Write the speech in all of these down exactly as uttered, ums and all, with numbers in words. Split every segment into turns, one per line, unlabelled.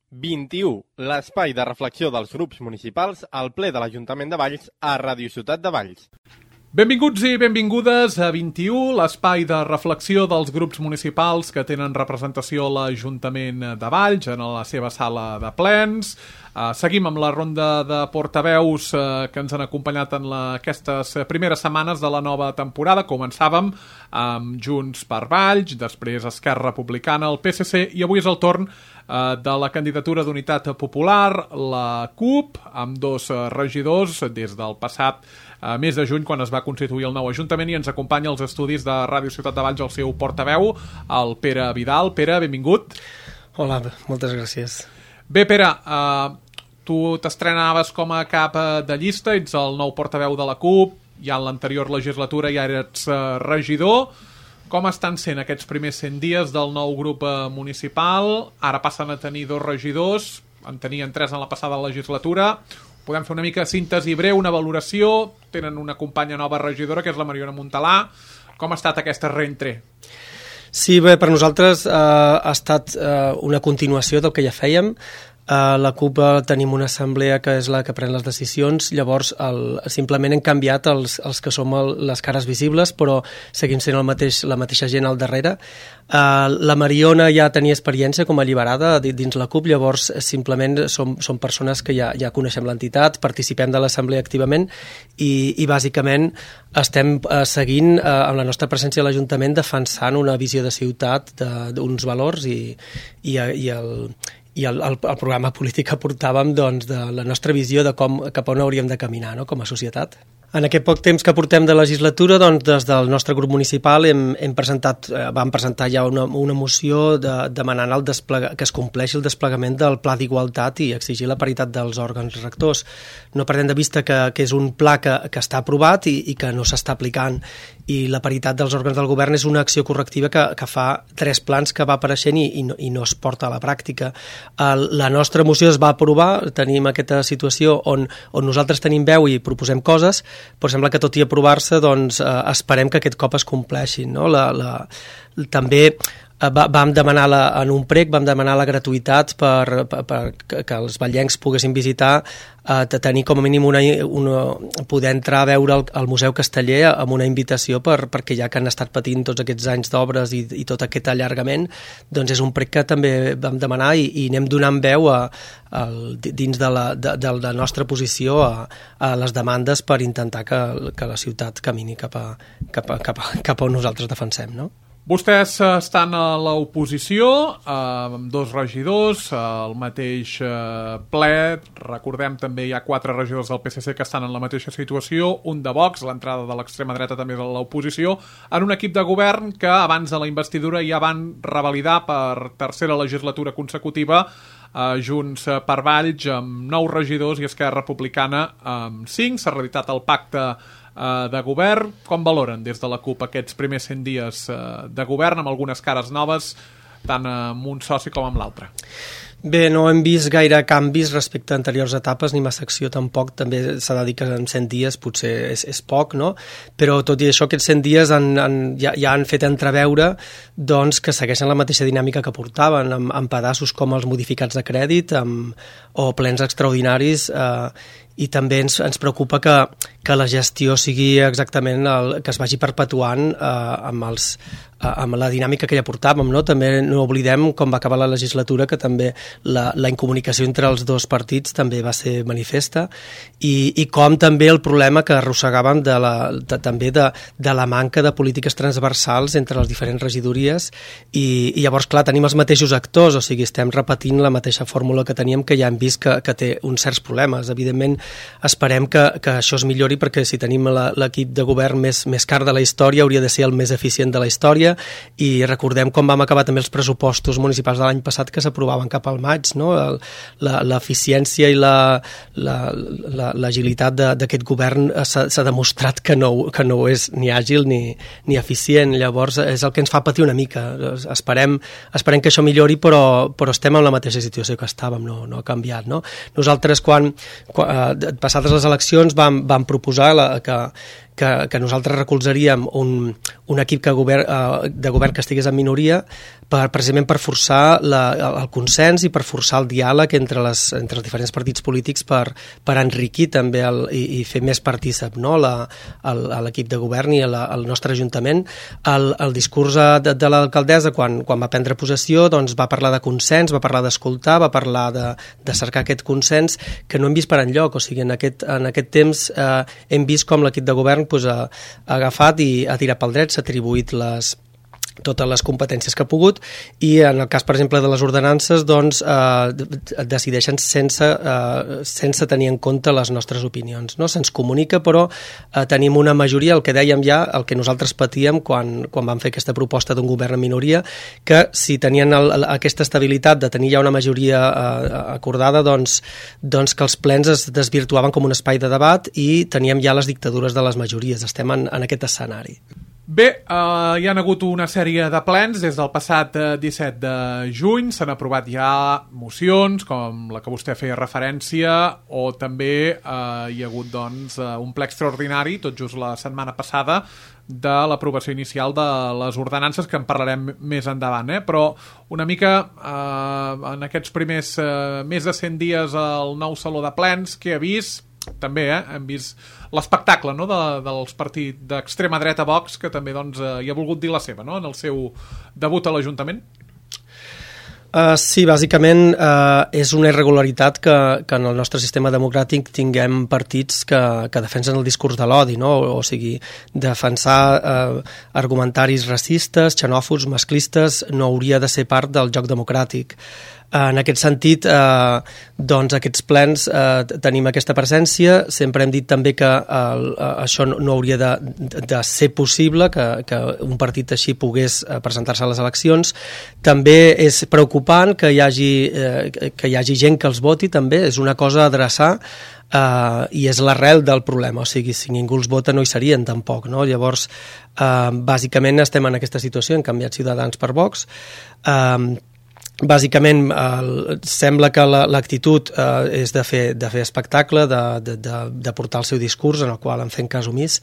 vint-i-u, l'espai de reflexió dels grups municipals al ple de l'Ajuntament de Valls a Ràdio Ciutat de Valls.
Benvinguts i benvingudes a vint-i-u, l'espai de reflexió dels grups municipals que tenen representació a l'Ajuntament de Valls en la seva sala de plens. Uh, seguim amb la ronda de portaveus uh, que ens han acompanyat en la, aquestes primeres setmanes de la nova temporada. Començàvem amb Junts per Valls, després Esquerra Republicana, el P S C, i avui és el torn uh, de la candidatura d'Unitat Popular, la CUP, amb dos uh, regidors des del passat uh, mes de juny, quan es va constituir el nou Ajuntament, i ens acompanya als estudis de Ràdio Ciutat de Valls el seu portaveu, el Pere Vidal. Pere, benvingut.
Hola, moltes gràcies.
Bé, Pere, uh, tu t'estrenaves com a cap de llista, ets el nou portaveu de la CUP, ja en l'anterior legislatura ja eres uh, regidor. Com estan sent aquests primers cent dies del nou grup uh, municipal? Ara passen a tenir dos regidors, en tenien tres en la passada legislatura. Podem fer una mica síntesi breu, una valoració. Tenen una companya nova regidora, que és la Mariona Montalà. Com ha estat aquesta reentré?
Sí, bé, per nosaltres eh, ha estat eh, una continuació del que ja fèiem. A la CUP tenim una assemblea que és la que pren les decisions, llavors el, simplement hem canviat els, els que som el, les cares visibles, però seguim sent el mateix, la mateixa gent al darrere. Uh, la Mariona ja tenia experiència com a alliberada dins la CUP, llavors simplement som, som persones que ja, ja coneixem l'entitat, participem de l'assemblea activament i, i bàsicament estem uh, seguint uh, amb la nostra presència a l'Ajuntament defensant una visió de ciutat, d'uns valors i, i, i el i el, el, el programa polític que portàvem doncs, de la nostra visió de com, cap on hauríem de caminar, no?, com a societat. En aquest poc temps que portem de legislatura, doncs, des del nostre grup municipal hem, hem presentat, eh, vam presentar ja una, una moció de, demanant el desplega, que es compleixi el desplegament del Pla d'Igualtat i exigir la paritat dels òrgans rectors. No perdem de vista que, que és un pla que, que està aprovat i, i que no s'està aplicant, i la paritat dels òrgans del govern és una acció correctiva que, que fa tres plans que va apareixent i, i, no, i no es porta a la pràctica. El, la nostra moció es va aprovar, tenim aquesta situació on, on nosaltres tenim veu i proposem coses, però sembla que tot i aprovar-se doncs, eh, esperem que aquest cop es compleixin, no? La, la, també eh, va, vam demanar la, en un prec vam demanar la gratuïtat per, per, per que, que els vallencs poguessin visitar, eh, de tenir com a mínim una, una, poder entrar a veure el, el Museu Casteller amb una invitació per, perquè ja que han estat patint tots aquests anys d'obres i, i tot aquest allargament, doncs és un prec que també vam demanar i, i anem donant veu a, a, dins de la, de, de la nostra posició a, a les demandes per intentar que, que la ciutat camini cap a, cap a, cap a, cap a on nosaltres defensem, no?
Vostès estan a l'oposició, eh, amb dos regidors, al mateix eh, ple. Recordem també hi ha quatre regidors del P S C que estan en la mateixa situació, un de Vox, l'entrada de l'extrema dreta també és a l'oposició, en un equip de govern que abans de la investidura ja van revalidar per tercera legislatura consecutiva, eh, Junts per Valls amb nou regidors i Esquerra Republicana amb cinc. S'ha reeditat el pacte de govern. Com valoren des de la CUP aquests primers cent dies de govern amb algunes cares noves, tant amb un soci com amb l'altre?
Bé, no hem vist gaire canvis respecte a anteriors etapes, ni massa acció tampoc. També s'ha de dir que en cent dies potser és, és poc, no? Però tot i això, aquests cent dies han, han, ja, ja han fet entreveure doncs, que segueixen la mateixa dinàmica que portaven, amb, amb pedaços com els modificats de crèdit amb, o plens extraordinaris, eh, i també ens, ens preocupa que, que la gestió sigui exactament el, que es vagi perpetuant eh, amb, els, eh, amb la dinàmica que ja portàvem, no? També no oblidem com va acabar la legislatura, que també la, la incomunicació entre els dos partits també va ser manifesta, i, i com també el problema que arrossegàvem de la, de, també de, de la manca de polítiques transversals entre les diferents regidories, i, i llavors, clar, tenim els mateixos actors, o sigui, estem repetint la mateixa fórmula que teníem, que ja hem vist que, que té uns certs problemes. Evidentment, esperem que, que això es millori, perquè si tenim l'equip de govern més, més car de la història, hauria de ser el més eficient de la història, i recordem com vam acabar també els pressupostos municipals de l'any passat, que s'aprovaven cap al maig, no? L'eficiència i l'agilitat la, d'aquest govern s'ha demostrat que no, que no és ni àgil ni, ni eficient. Llavors és el que ens fa patir una mica. Esperem, esperem que això millori, però, però estem en la mateixa situació que estàvem, no, no ha canviat, no? Nosaltres, quan, quan passades les eleccions, vam, vam proposar la, que, que, que nosaltres recolzaríem un, un equip que govern, uh, de govern que estigués en minoria per, precisament per forçar la, el consens i per forçar el diàleg entre, les, entre els diferents partits polítics per, per enriquir també el, i, i fer més partícip, no? la, el, l'equip de govern i la, el nostre ajuntament. El, el discurs de, de l'alcaldessa, quan, quan va prendre possessió, doncs va parlar de consens, va parlar d'escoltar, va parlar de, de cercar aquest consens que no hem vist per enlloc. O sigui, en aquest, en aquest temps eh, hem vist com l'equip de govern pues, ha, ha agafat i ha tirat pel dret, s'ha atribuït les totes les competències que ha pogut i en el cas, per exemple, de les ordenances doncs eh, decideixen sense, eh, sense tenir en compte les nostres opinions, no? Se'ns comunica, però eh, tenim una majoria, el que dèiem ja, el que nosaltres patíem quan, quan vam fer aquesta proposta d'un govern en minoria, que si tenien el, aquesta estabilitat de tenir ja una majoria eh, acordada, doncs, doncs que els plens es desvirtuaven com un espai de debat i teníem ja les dictadures de les majories. Estem en, en aquest escenari.
Bé, eh, hi ha hagut una sèrie de plens des del passat eh, disset de juny, s'han aprovat ja mocions com la que vostè feia referència o també eh, hi ha hagut doncs, un ple extraordinari tot just la setmana passada de l'aprovació inicial de les ordenances, que en parlarem més endavant, eh? Però una mica eh, en aquests primers eh, més de cent dies al nou Saló de Plens, que ha vist també eh, hem vist l'espectacle, no?, de, dels partits d'extrema dreta Vox, que també doncs, eh, hi ha volgut dir la seva, no?, en el seu debut a l'Ajuntament.
Uh, sí, bàsicament uh, és una irregularitat que, que en el nostre sistema democràtic tinguem partits que, que defensen el discurs de l'odi, no? O, o sigui, defensar uh, argumentaris racistes, xenòfobs, masclistes, no hauria de ser part del joc democràtic. En aquest sentit, eh, doncs aquests plens eh, tenim aquesta presència. Sempre hem dit també que eh, això no, no hauria de, de ser possible, que, que un partit així pogués presentar-se a les eleccions. També és preocupant que hi hagi, eh, que hi hagi gent que els voti, també és una cosa a adreçar. Uh, i és l'arrel del problema, o sigui, si ningú els vota no hi serien tampoc, no? Llavors, uh, bàsicament estem en aquesta situació, hem canviat Ciutadans per Vox. Uh, Bàsicament, eh, sembla que la, l'actitud eh, és de fer, de fer espectacle, de, de, de, de portar el seu discurs, en el qual en fem cas omís.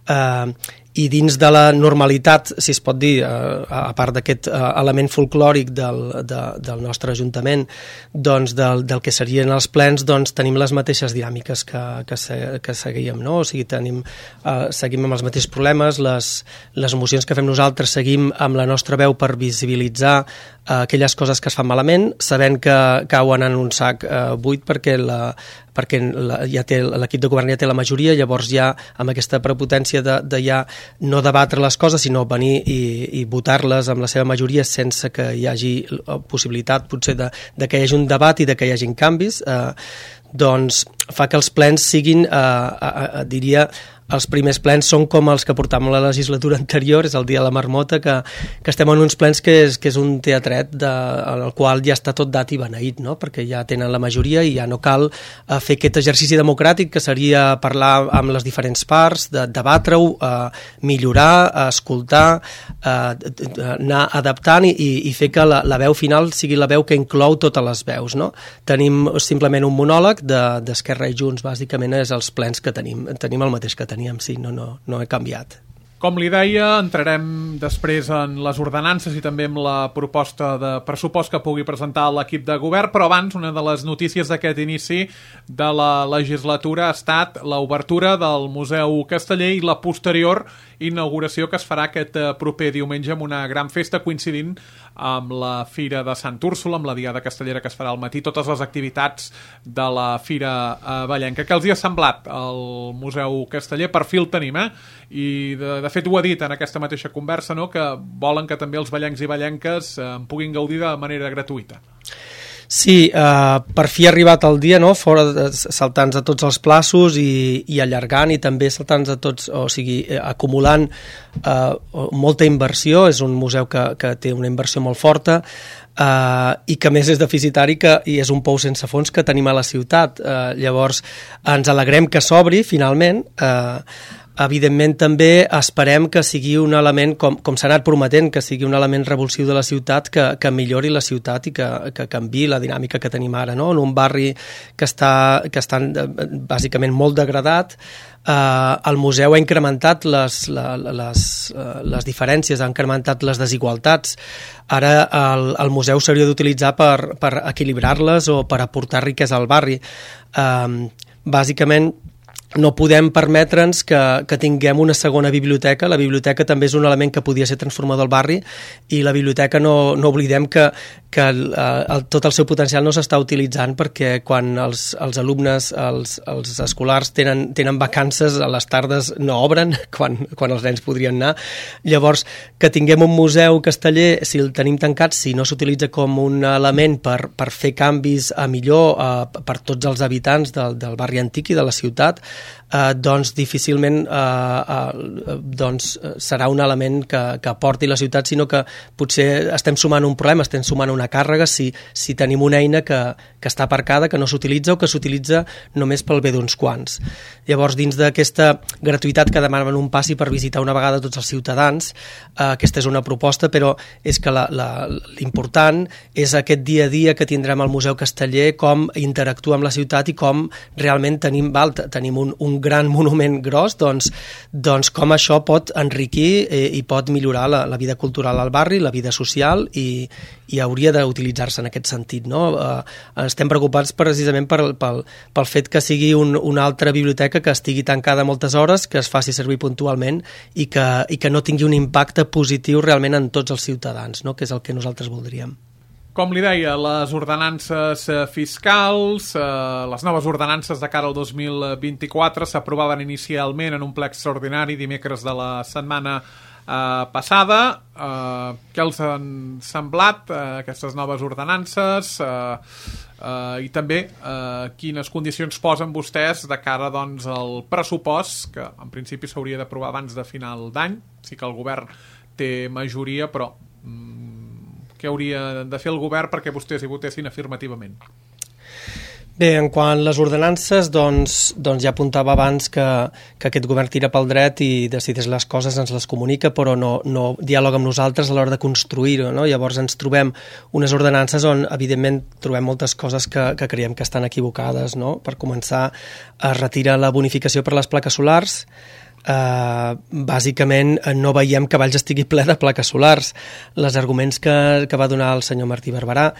Eh, i dins de la normalitat, si es pot dir, eh, a part d'aquest eh, element folclòric del, de, del nostre Ajuntament, doncs del, del que serien els plens, doncs tenim les mateixes dinàmiques que, que, se, que seguíem, no? O sigui, tenim, eh, seguim amb els mateixos problemes, les, les mocions que fem nosaltres seguim amb la nostra veu per visibilitzar eh, aquelles coses que es fan malament, sabent que cauen en un sac eh, buit perquè la perquè la, ja té, l'equip de govern ja té la majoria, llavors ja amb aquesta prepotència de, de ja no debatre les coses, sinó venir i, i votar-les amb la seva majoria sense que hi hagi possibilitat potser de, de que hi hagi un debat i de que hi hagin canvis, eh, doncs fa que els plens siguin, eh, eh, eh, diria, els primers plens són com els que portàvem la legislatura anterior, és el dia de la marmota, que, que estem en uns plens que és, que és un teatret de, en el qual ja està tot dat i beneït, no? Perquè ja tenen la majoria i ja no cal uh, fer aquest exercici democràtic que seria parlar amb les diferents parts, de, debatre-ho, uh, millorar, uh, escoltar, uh, anar adaptant i, i fer que la, la veu final sigui la veu que inclou totes les veus, no? Tenim simplement un monòleg de, d'Esquerra i Junts, bàsicament és els plens que tenim, tenim el mateix que tenim. Sí, no, no, no he canviat.
Com li deia, entrarem després en les ordenances i també en la proposta de pressupost que pugui presentar l'equip de govern, però abans una de les notícies d'aquest inici de la legislatura ha estat l'obertura del Museu Casteller i la posterior inauguració que es farà aquest proper diumenge amb una gran festa coincidint amb la Fira de Sant Úrsula, amb la Diada Castellera que es farà al matí, totes les activitats de la Fira Vallenca. Què els hi ha semblat el Museu Casteller? Per fi el tenim, eh? I de, de fet ho ha dit en aquesta mateixa conversa, no?, que volen que també els vallencs i vallenques eh, en puguin gaudir de manera gratuïta.
Sí, eh, per fi ha arribat el dia, no?, fora de, saltant-nos a tots els plaços i, i allargant i també saltant-nos a tots, o sigui, eh, acumulant eh, molta inversió. És un museu que, que té una inversió molt forta eh, i que més és deficitari que, i és un pou sense fons que tenim a la ciutat. Eh, llavors ens alegrem que s'obri finalment, eh, Evidentment també esperem que sigui un element, com, com s'ha anat prometent, que sigui un element revulsiu de la ciutat, que, que millori la ciutat i que, que canviï la dinàmica que tenim ara, no? En un barri que està, que està bàsicament molt degradat, eh, el museu ha incrementat les, les, les diferències, ha incrementat les desigualtats. Ara el, el museu s'hauria d'utilitzar per, per equilibrar-les o per aportar riquesa al barri. Eh, bàsicament, no podem permetre'ns que, que tinguem una segona biblioteca. La biblioteca també és un element que podia ser transformador al barri i la biblioteca no, no oblidem que, que el, el, tot el seu potencial no s'està utilitzant perquè quan els, els alumnes, els, els escolars tenen, tenen vacances, a les tardes no obren quan, quan els nens podrien anar. Llavors, que tinguem un museu casteller, si el tenim tancat, si no s'utilitza com un element per, per fer canvis a millor eh, per tots els habitants del, del barri antic i de la ciutat, Uh, doncs difícilment uh, uh, doncs, uh, serà un element que, que aporti la ciutat, sinó que potser estem sumant un problema, estem sumant una càrrega si, si tenim una eina que, que està aparcada, que no s'utilitza o que s'utilitza només pel bé d'uns quants. Llavors, dins d'aquesta gratuïtat que demanen un passi per visitar una vegada tots els ciutadans, uh, aquesta és una proposta, però és que la, la, l'important és aquest dia a dia que tindrem al Museu Casteller, com interactuar amb la ciutat i com realment tenim, val, tenim un un gran monument gros, doncs, doncs com això pot enriquir eh, i pot millorar la, la vida cultural al barri, la vida social i, i hauria d'utilitzar-se en aquest sentit, no? Eh, estem preocupats precisament per, pel, pel fet que sigui un, una altra biblioteca que estigui tancada moltes hores, que es faci servir puntualment i que, i que no tingui un impacte positiu realment en tots els ciutadans, no? Que és el que nosaltres voldríem.
Com li deia, les ordenances fiscals, eh, les noves ordenances de cara al dos mil vint-i-quatre s'aprovaven inicialment en un ple extraordinari dimecres de la setmana eh, passada. Eh, què els han semblat eh, aquestes noves ordenances eh, eh, i també eh, quines condicions posen vostès de cara doncs, al pressupost, que en principi s'hauria d'aprovar abans de final d'any? Sí que el govern té majoria, però mm, què hauria de fer el govern perquè vostès hi votessin afirmativament?
Bé, en quant a les ordenances, doncs, doncs ja apuntava abans que, que aquest govern tira pel dret i decideix les coses, ens les comunica, però no, no dialoga amb nosaltres a l'hora de construir-ho, no? Llavors ens trobem unes ordenances on, evidentment, trobem moltes coses que, que creiem que estan equivocades, no? Per començar, es retira la bonificació per les plaques solars. Uh, bàsicament no veiem que Valls estigui ple de plaques solars. Les arguments que, que va donar el senyor Martí Barberà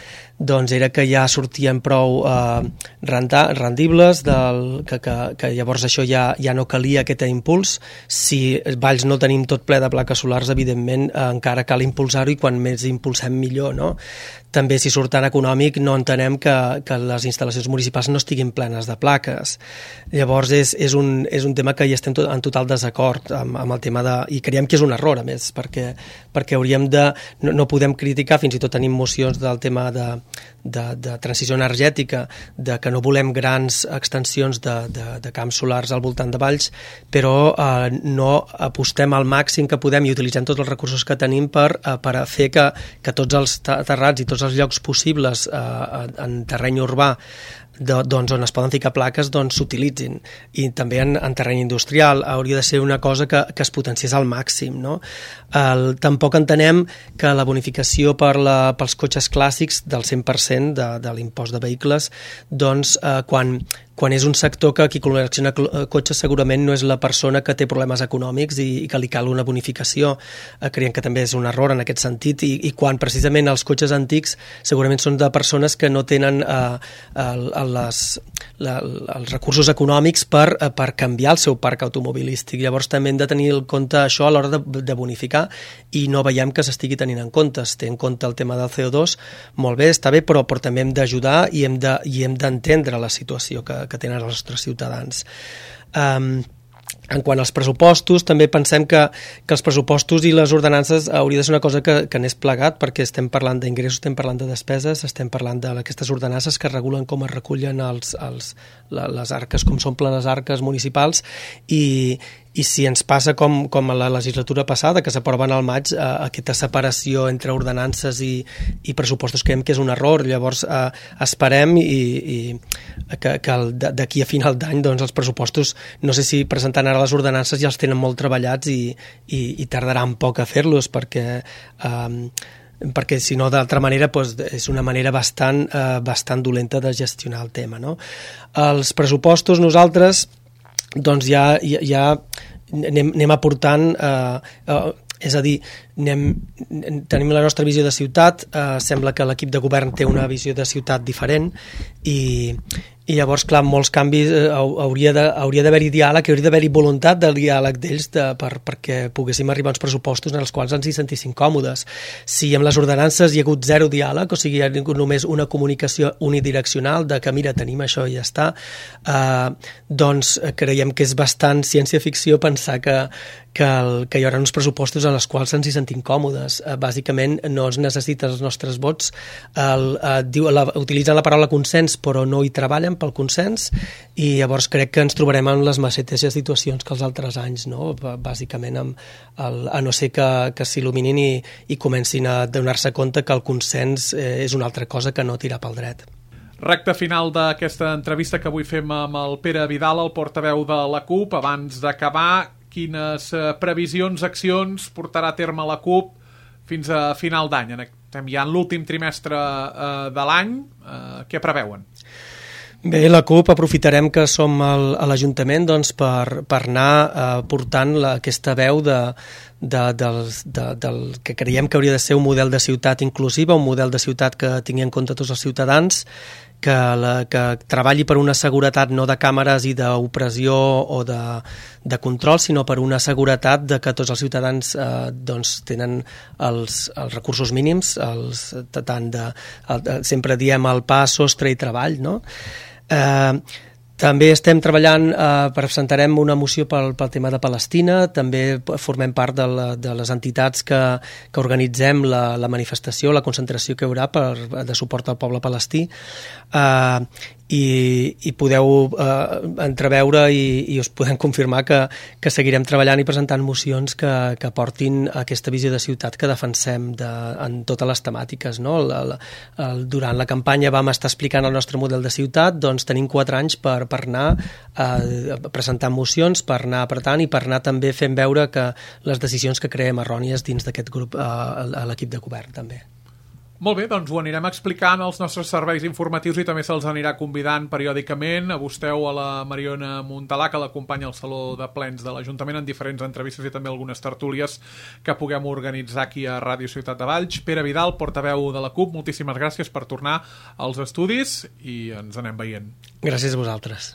doncs era que ja sortien prou uh, renta, rendibles del, que, que, que llavors això ja, ja no calia aquest impuls. Si Valls no tenim tot ple de plaques solars, evidentment uh, encara cal impulsar-ho i quan més impulsem millor, no? També si surt tan econòmic no entenem que, que les instal·lacions municipals no estiguin plenes de plaques. Llavors és, és, un, és un tema que hi estem tot, en total desacord amb, amb el tema de... I creiem que és un error, a més, perquè, perquè hauríem de... No, no podem criticar, fins i tot tenim mocions del tema de, de, de transició energètica, de que no volem grans extensions de, de, de camps solars al voltant de Valls, però eh, no apostem al màxim que podem i utilitzem tots els recursos que tenim per, eh, per a fer que, que tots els terrats i tots els llocs possibles eh, en terreny urbà de, doncs on es poden ficar plaques doncs s'utilitzin, i també en, en terreny industrial hauria de ser una cosa que, que es potenciés al màxim, no? El, tampoc entenem que la bonificació per la, pels cotxes clàssics del cent per cent de, de l'impost de vehicles, doncs eh, quan quan és un sector que qui col·lecciona cotxes segurament no és la persona que té problemes econòmics i, i que li cal una bonificació. Eh, creiem que també és un error en aquest sentit, i, i quan precisament els cotxes antics segurament són de persones que no tenen eh, el, les, la, els recursos econòmics per, eh, per canviar el seu parc automobilístic. Llavors també hem de tenir en compte això a l'hora de, de bonificar, i no veiem que s'estigui tenint en compte. Es té en compte el tema del C O dos, molt bé, està bé, però, però també hem d'ajudar i hem de, i hem d'entendre la situació que que tenen els nostres ciutadans. Um, en quant als pressupostos, també pensem que, que els pressupostos i les ordenances hauria de ser una cosa que, que anés plegat, perquè estem parlant d'ingressos, estem parlant de despeses, estem parlant d'aquestes ordenances que regulen com es recullen els, els, les arques, com s'omplen les arques municipals, i, i si ens passa com, com a la legislatura passada, que s'aproven al maig, eh, aquesta separació entre ordenances i, i pressupostos, creiem que és un error. Llavors eh, esperem i, i que, que d'aquí a final d'any doncs, els pressupostos, no sé si presentant ara les ordenances ja els tenen molt treballats i, i, i tardaran poc a fer-los perquè... Eh, perquè si no d'altra manera doncs, és una manera bastant, eh, bastant dolenta de gestionar el tema, no? Els pressupostos nosaltres doncs ja, ja, ja anem, anem aportant eh, eh, és a dir, anem, tenim la nostra visió de ciutat, eh, sembla que l'equip de govern té una visió de ciutat diferent i, i llavors, clar, molts canvis eh, hauria de, hauria d'haver-hi diàleg, hauria d'haver-hi voluntat de diàleg d'ells de, per, perquè poguéssim arribar a uns pressupostos en els quals ens hi sentissin còmodes. Si amb les ordenances hi ha hagut zero diàleg, o sigui, hi ha hagut només una comunicació unidireccional de que, mira, tenim això i ja està, eh, doncs creiem que és bastant ciència-ficció pensar que, que, el, que hi haurà uns pressupostos en els quals ens hi sentim còmodes. Eh, bàsicament, no es necessiten els nostres vots. El, eh, diu, la, utilitzen la paraula consens, però no hi treballen pel consens, i llavors crec que ens trobarem en les mateixes situacions que els altres anys, no? Bàsicament, amb el, a no ser que, que s'il·luminin i, i comencin a donar-se compte que el consens eh, és una altra cosa que no tirar pel dret.
Recte final d'aquesta entrevista que avui fem amb el Pere Vidal, el portaveu de la CUP. Abans d'acabar, quines previsions, accions portarà a terme la CUP fins a final d'any? Estem ja en l'últim trimestre eh, de l'any. Eh, què preveuen?
Bé, la CUP aprofitarem que som al, a l'Ajuntament doncs, per, per anar eh, portant la, aquesta veu de, de, del, de, del que creiem que hauria de ser un model de ciutat inclusiva, un model de ciutat que tingui en compte tots els ciutadans, que, la, que treballi per una seguretat no de càmeres i d'opressió o de, de control, sinó per una seguretat de que tots els ciutadans eh, doncs, tenen els, els recursos mínims, els, tant de, el, sempre diem el pa, sostre i treball, no? Eh, també estem treballant, eh, presentarem una moció pel, pel tema de Palestina, també formem part de, la, de les entitats que, que organitzem la, la manifestació, la concentració que hi haurà per, de suport al poble palestí, eh, i, i podeu eh, entreveure i, i us podem confirmar que, que seguirem treballant i presentant mocions que, que portin aquesta visió de ciutat que defensem de, en totes les temàtiques, no? El, el, el, durant la campanya vam estar explicant el nostre model de ciutat, doncs tenim quatre anys per, per anar eh, presentant mocions, per anar apretant i per anar també fent veure que les decisions que creem errònies dins d'aquest grup eh, a l'equip de govern també.
Molt bé, doncs ho anirem explicant als nostres serveis informatius i també se'ls anirà convidant periòdicament. A vostè o a la Mariona Montalà, que l'acompanya al Saló de Plens de l'Ajuntament en diferents entrevistes i també algunes tertúlies que puguem organitzar aquí a Ràdio Ciutat de Valls. Pere Vidal, portaveu de la CUP, moltíssimes gràcies per tornar als estudis i ens anem veient.
Gràcies a vosaltres.